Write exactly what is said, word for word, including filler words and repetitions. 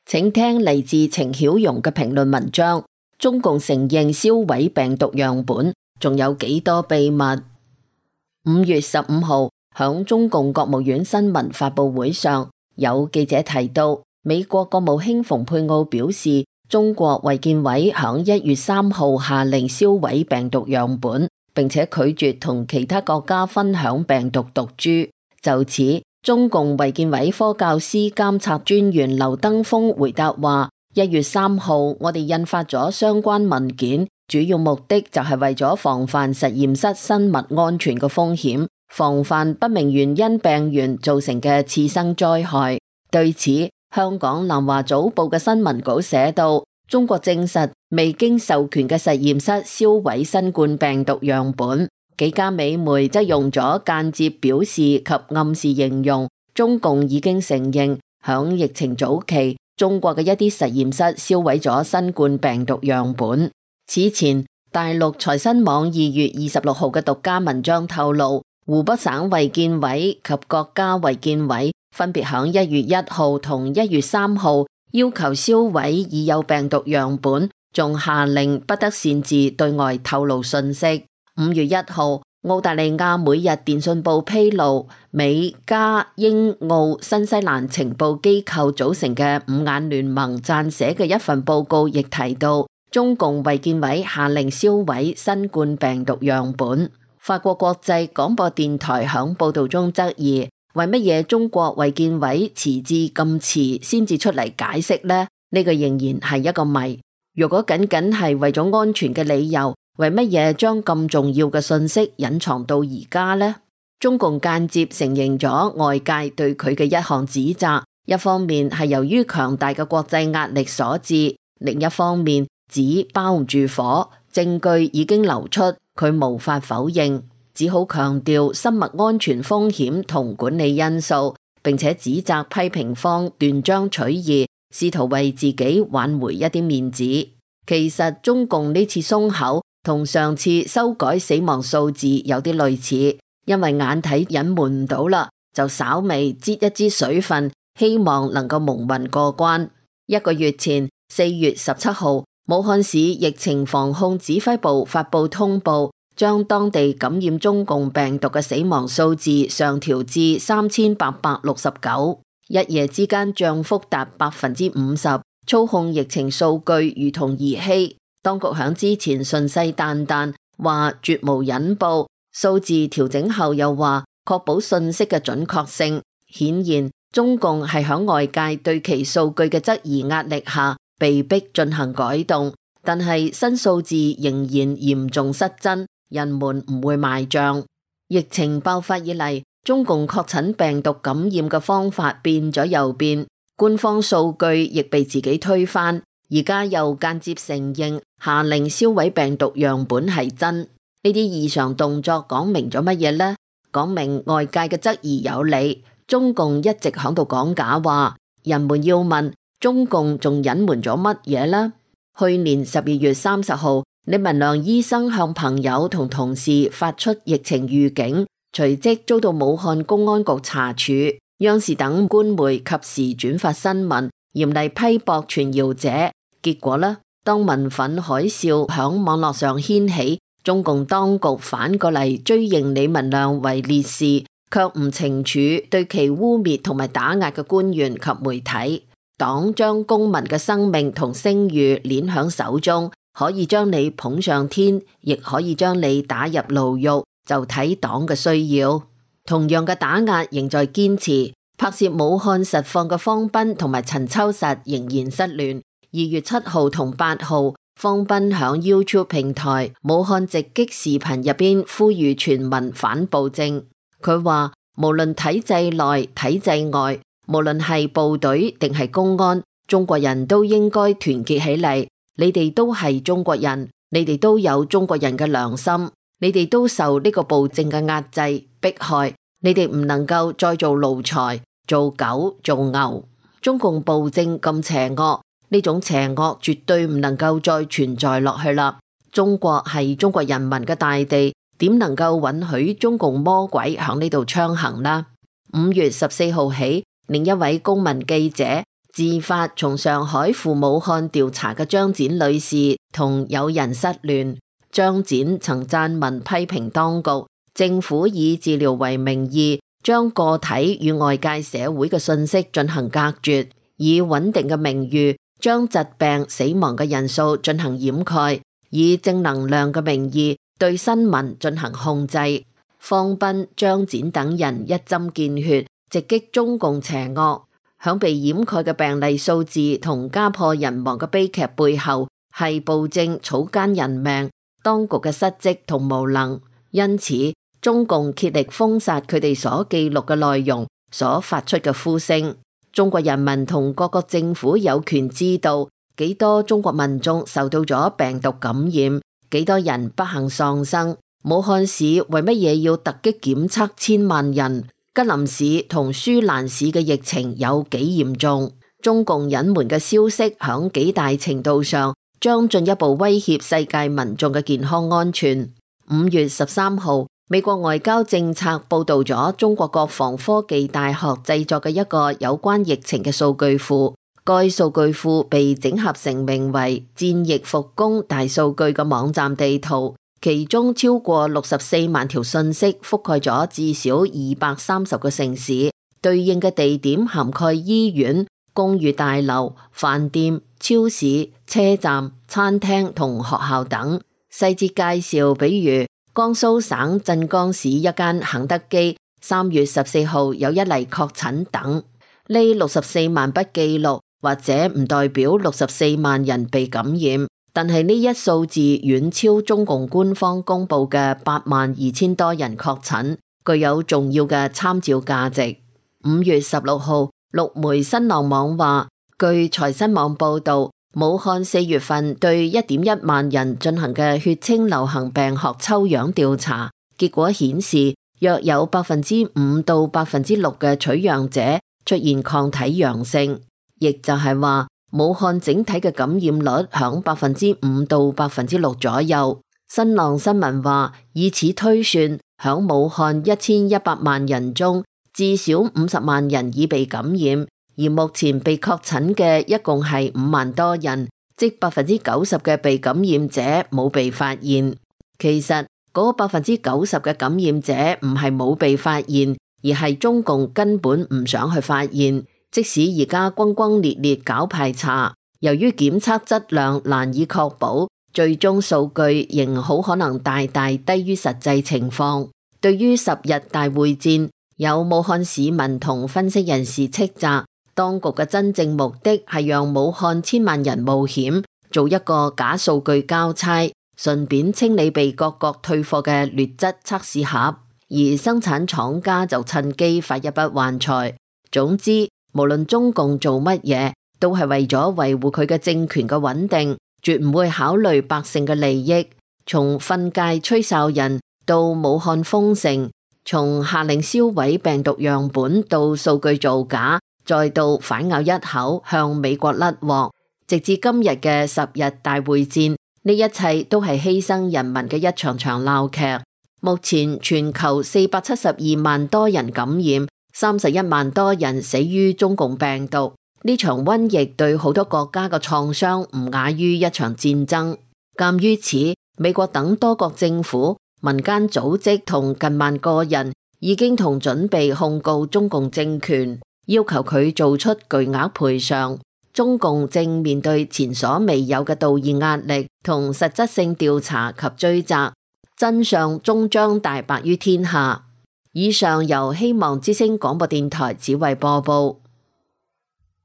請聽嚟自程曉蓉嘅評論文章。中共承認銷毀病毒樣本，仲有幾多秘密？五月十五號，響中共國務院新聞發佈會上，有記者提到，美國國務卿蓬佩奧表示，中國衛健委響一月三號下令銷毀病毒樣本，並且拒絕同其他國家分享病毒毒株。就此，中共衛健委科教司監察專員劉登峰回答話，一月三號我哋印發咗相關文件，主要目的就係為咗防範實驗室生物安全嘅風險，防範不明原因病原造成嘅次生災害。對此，香港南華早報嘅新聞稿寫道，中國證實未經授權嘅實驗室銷毀新冠病毒樣本。幾家美媒則用咗間接表示及暗示形容，中共已經承認響疫情早期，中國嘅一啲實驗室銷毀咗新冠病毒樣本。此前，大陸財新網二月二十六號嘅獨家文章透露，湖北省衛健委及國家衛健委分別響一月一號同一月三號要求銷毀已有病毒樣本，仲下令不得擅自對外透露信息。五月一號，澳大利亞每日電訊報披露，美加英澳新西蘭情報機構組成嘅五眼聯盟撰寫嘅一份報告亦提到，中共衛健委下令銷毀新冠病毒樣本。法國國際廣播電台響報道中質疑，為乜嘢中國衛健委遲至咁遲先至出嚟解釋呢？呢個仍然係一個謎。如果僅僅係為咗安全嘅理由，為乜嘢將咁重要嘅信息隱藏到而家呢？中共間接承認咗外界對佢嘅一項指責，一方面係由於強大嘅國際壓力所致，另一方面紙包唔住火，證據已經流出，佢無法否認，只好強調生物安全風險同管理因素，並且指責批評方斷章取義，試圖為自己挽回一啲面子。其實中共呢次鬆口同上次修改死亡數字有啲類似，因為眼睇隱瞞唔到啦，就稍微擠一支水分，希望能夠蒙混過關。一個月前，四月十七號，武漢市疫情防控指揮部發布通報，將當地感染中共病毒嘅死亡數字上調至三千八百六十九，一夜之間漲幅達百分之五十，操控疫情數據如同兒戲。當局響之前信誓旦旦話絕無隱報，數字調整後又話確保信息嘅準確性。顯然，中共係響外界對其數據嘅質疑壓力下，被迫進行改動。但係新數字仍然嚴重失真，人們唔會賣賬。疫情爆發以嚟，中共確診病毒感染嘅方法變咗又變，官方數據亦被自己推翻。而家又間接承認下令銷毀病毒樣本係真，呢啲異常動作講明咗乜嘢呢？講明外界嘅質疑有理，中共一直響度講假話。人們要問，中共仲隱瞞咗乜嘢呢？去年十二月三十號，李文亮醫生向朋友同同事發出疫情預警，隨即遭到武漢公安局查處，央視等官媒及時轉發新聞，嚴厲批駁傳謠者。結果呢，當民憤海嘯響網絡上掀起，中共當局反過嚟追認李文亮為烈士，卻唔懲處對其污衊同埋打壓嘅官員及媒體。黨將公民嘅生命同聲譽捏響手中，可以將你捧上天，亦可以將你打入牢獄，就睇黨嘅需要。同樣嘅打壓仍在堅持。拍攝武漢實況嘅方斌同埋陳秋實仍然失聯。二月七號同八號，方斌響 YouTube 平台武漢直擊視頻入邊呼籲全民反暴政。佢話無論體制內體制外，無論係部隊定係公安，中國人都應該團結起嚟。你哋都係中國人，你哋都有中國人嘅良心，你哋都受呢個暴政嘅壓制迫害，你哋唔能夠再做奴才、做狗、做牛。中共暴政咁邪惡，呢種邪惡絕對唔能夠再存在落去啦。中國係中國人民嘅大地，點能夠允許中共魔鬼響呢度暢行呢？五月十四號起，另一位公民記者自發從上海赴武漢調查嘅張展女士同友人失聯。張展曾撰文批評當局，政府以治療為名義，將個體與外界社會嘅信息進行隔絕，以穩定嘅名譽將疾病死亡嘅人數進行掩蓋，以正能量嘅名義對新聞進行控制。方斌、張展等人一針見血，直擊中共邪惡。響被掩蓋嘅病例數字同家破人亡嘅悲劇背後，係暴政草菅人命，當局嘅失職同無能。因此，中共竭力封殺佢哋所記錄嘅內容，所發出嘅呼聲。中國人民同各國政府有權知道幾多中國民眾受到咗病毒感染，幾多人不幸喪生。武漢市為乜嘢要突擊檢測千萬人？吉林市同舒蘭市嘅疫情有幾嚴重？中共隱瞞嘅消息響幾大程度上將進一步威脅世界民眾嘅健康安全。五月十三號，美國外交政策報道咗中國國防科技大學製作嘅一個有關疫情嘅數據庫，該數據庫被整合成名為戰疫復工大數據嘅網站地圖。其中超過六十四萬條信息覆蓋咗至少二百三十個城市，對應嘅地點涵蓋醫院、公寓大樓、飯店、超市、車站、餐廳同學校等。細節介紹，比如江蘇省鎮江市一間肯德基三月十四號有一例確診等。呢六十四萬筆記錄或者唔代表六十四萬人被感染。但係呢一數字遠超中共官方公布嘅八萬二千多人確診，具有重要嘅參照價值。五月十六號，陸媒新浪網話，據財新網報道，武漢四月份對一點一萬人進行嘅血清流行病學抽樣調查，結果顯示約有百分之五到百分之六嘅取樣者出現抗體陽性，亦就係話，武漢整體嘅感染率響百分之五到百分之六左右。新浪新聞話，以此推算，響武漢一千一百萬人中，至少五十萬人已被感染，而目前被確診嘅一共係五萬多人，即百分之九十嘅被感染者冇被發現。其實嗰百分之九十嘅感染者唔係冇被發現，而係中共根本唔想去發現。即使而家轟轟烈烈搞排查，由於檢測質量難以確保，最終數據仍好可能大大低於實際情況。對於十日大會戰，有武漢市民同分析人士斥責，當局嘅真正目的係讓武漢千萬人冒險做一個假數據交差，順便清理被各國退貨嘅劣質測試盒，而生產廠家就趁機發一筆橫財。總之，無論中共做乜嘢，都係為咗維護佢嘅政權嘅穩定，絕唔會考慮百姓嘅利益。從訓誡吹哨人到武漢封城，從下令銷毀病毒樣本到數據造假，再到反咬一口向美國甩鑊，直至今日嘅十日大會戰，呢一切都係犧牲人民嘅一場場鬧劇。目前全球四百七十二萬多人感染，三十一萬多人死於中共病毒，呢場瘟疫對好多國家嘅創傷唔亞於一場戰爭。鑑於此，美國等多國政府、民間組織同近萬個人已經同準備控告中共政權，要求佢做出巨額賠償。中共正面對前所未有嘅道義壓力同實質性調查及追責，真相終將大白於天下。以上由希望之聲廣播電台只為播報。